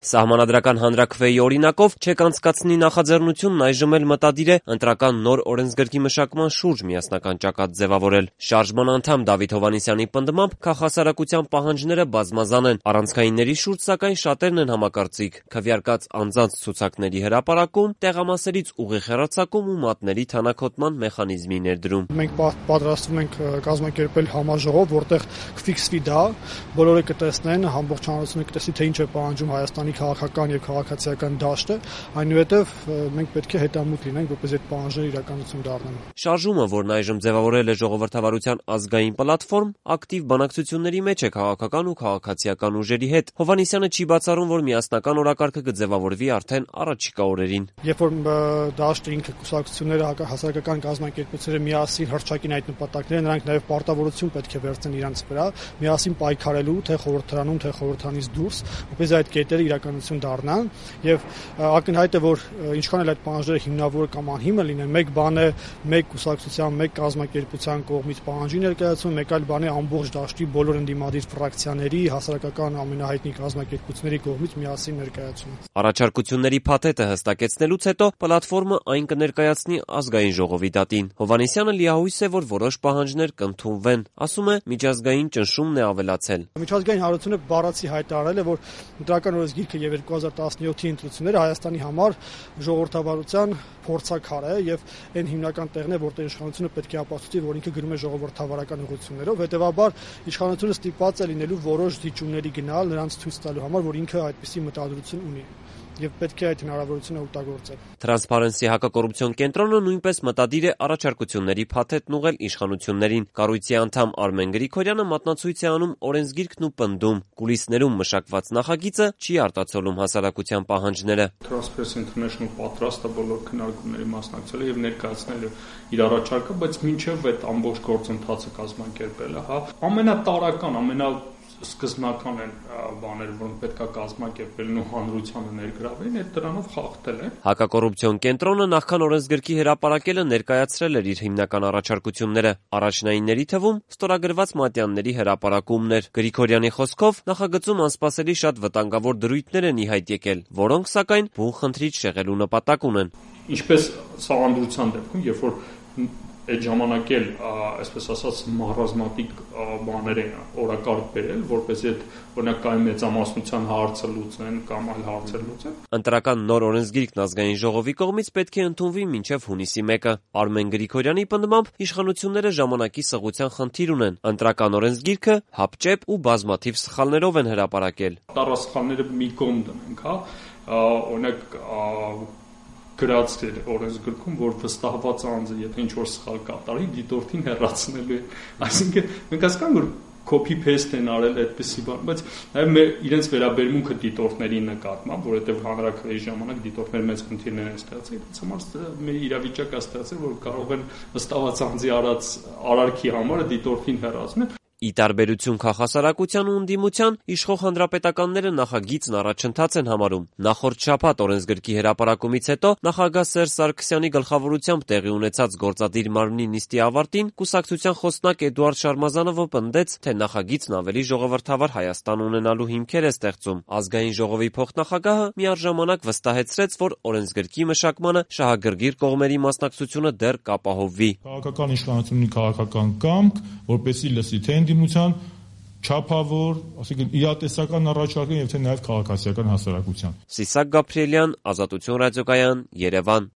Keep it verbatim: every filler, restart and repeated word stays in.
Սահմանադրական հանրաքվեի օրինակով չեք անցկացնի նախաձեռնությունն այժմ էլ մտադիր է ընտրական նոր օրենսգրքի մշակման շուրջ միասնական ճակատ ձևավորել։ Շարժման անդամ Դավիթ Հովհաննիսյանի պնդմամբ քաղհասարակության պահանջները բազմազան են, առանցքայինների շուրջ սակայն շատերն են համակարծիք՝ քվեարկած անձանց ցուցակների հրապարակում, տեղամասերից ուղիղ հեռարձակում ու մատների թանաքոտման մեխանիզմի ներդրում։ Մենք պատրաստվում ենք կազմակերպել համաժողով, որտեղ կֆիքսվի դա, բոլորը կտեսնեն, ամբողջ հանրությունը կտեսնի, թե ինչ է պահանջում Հայաստանի քաղաքական եւ քաղաքացիական դաշտը, այնուհետեւ մենք պետք է հետամուտ լինենք, որպեսզի այդ պահանջները իրականություն դառնան։ Շարժումը, որն այժմ ձևավորել է ժողովրդավարության ազգային պլատֆորմ, ակտիվ բանակցությունների մեջ է քաղաքական ու քաղաքացիական ուժերի հետ։ Հովհաննիսյանը չի բացառում, որ միասնական օրակարգը կձևավորվի արդեն առաջիկա օրերին։ Երբ որ դաշտը ինքը կուսակցությունները, հասարակական կազմակերպությունները միասին հռչակին այդ նպատակները, նրանք նաեւ պարտավորություն պետք է վերցնեն իրենց վրա, միասին պայքարելու թե խորհրդարանում, թե խորհրդանից դուրս, որպեսզի այդ կետերը իրականություն դառնան, եւ ակնհայտ է, որ ինչքան էլ այդ պահանջները հիմնավոր կամ անհիմն լինեն, մեկ բան է մեկ կուսակցության, մեկ կազմակերպության կողմից պահանջի ներկայացումը, մեկ այլ բան է ամբողջ դաշտի բոլոր ընդդիմադիր ֆրակցիաների, հասարակական ամենահայտնի կազմակերպությունների կողմից միասին ներկայացումը։ Առաջարկությունների փաթեթը հստակեցնելուց հետո պլատֆորմը այն կներկայացնի ազգային ժողովի դատին։ Հովհաննիսյանը լիահույս է, որ որոշ պահանջներ կընդունվեն, ասում է, միջազգային ճնշումն է ավելացել։ Միջազգային հանրությունը բառացի հայտարարել է, որ ընտրական օրենսգիրքը եւ երկու հազար տասնյոթի ընտրությունները Հայաստանի համար ժողովրդավարության փորձաքար է եւ այն հիմնական տեղն է, որտեղ իշխանությունը պետք է ապացուցի, որ ինքը գրում է ժողովրդավարական ուղղություններով, հետեւաբար իշխանությունը ստիպված է լինելու որոշ դիճումների գնալ նրանց ցույց տալու համար, որ ինքը այդպիսի մտադրություն ունի եւ պետք է այդ հնարավորությունը օգտագործել։ Թրանսփարենսի հակակոռուպցիոն կենտրոնը նույնպես մտադիր է առաջարկությունների փաթեթն ուղղել իշխանություններին։ Կառույցի անդամ Արմեն Գրիգորյանը մատնացույց է անում օրենսգիրքն ու պնդում՝ կուլիսներում մշակված նախագիծը չի արտացոլում հասարակության պահանջները։ Transparency International պատրաստ է բոլոր քննարկումների մասնակցել եւ ներկայացնել իր առաջարկը, բայց մինչեւ այդ ամբողջ գործընթացը կազմակերպելը, հա, ամենատարական, ամենա սկզբնական են բաները, որոնք պետք է կազմակերպելն ու հանրությանը ներգրավեն, այդ դրանով խախտել են։ Հակակոռուպցիոն կենտրոնը նախքան օրենսգրքի հրապարակելը ներկայացրել էր իր հիմնական առաջարկությունները։ Առաջնայինների թվում ստորագրված մատյանների հրապարակումն էր։ Գրիգորյանի խոսքով նախագծում անսպասելի շատ վտանգավոր դրույթներ են ի հայտ եկել, որոնք սակայն բուն խնդրից շեղելու նպատակ ունեն։ Ինչպես սահմանադրության դեպքում, երբ որ այդ ժամանակ էլ, այսպես ասած, մահռազմատիկ բաներ են օրակարգ բերել, որպեսզի այդ օրինակ կայուն մեծամասնության հարցը լուծեն կամ այլ հարցեր լուծեն։ Ընտրական նոր օրենսգիրքն ազգային ժողովի կողմից պետք է ընդունվի մինչև հունիսի մեկը։ Արմեն Գրիգորյանի պնդմամբ իշխանությունները ժամանակի սղության խնդիր ունեն։ Ընտրական օրենսգիրքը հապճեպ ու բազմաթիվ սխալներով են հրապարակել։ Տարասխալները մի կողմ դնենք, հա, օրինակ գրած էր օրենսգրքում, որ վստահված անձը, եթե ինչ-որ սխալ կատարի, դիտորդին հեռացնելու է։ Այսինքն մենք հասկանանք, որ copy-paste են արել այդպիսի բան, բայց նաև մեր իրենց վերաբերմունքը դիտորդների նկատմամբ, որովհետև հանրաքվեի ժամանակ դիտորդներ մեծ խնդիրներ են ստեղծել, դից համար մեր իրավիճակը ստեղծել, որ կարող են վստահված անձի արած արարքի համար դիտորդին հեռացնել։ Ի տարբերություն քաղհասարակության ու ընդդիմության, իշխող հանրապետականները նախագիծն առաջընթաց են համարում։ Նախորդ շաբաթ օրենսգրքի հրապարակումից հետո նախագահ Սերժ Սարգսյանի գլխավորությամբ տեղի ունեցած գործադիր մարմնի նիստի ավարտին կուսակցության խոսնակ Էդուարդ Շարմազանովը պնդեց, թե նախագիծն ավելի ժողովրդավար Հայաստան ունենալու հիմքեր է ստեղծում։ Ազգային ժողովի փոխնախագահը միառժամանակ վստահեցրեց, որ օրենսգրքի մշակմանը շահագրգիռ կողմերի մասնակցությունը դեռ կապահովվի։ Քաղաքական իշխանությունի քաղաքական կամք, որպեսզի լսի թե ընդդիմության չափավոր, ասենք իրատեսական առաջարկն եւ թե նաեւ քաղաքացիական հասարակության։ Սիսակ Գաբրիելյան, Ազատություն ռադիոկայան, Երևան։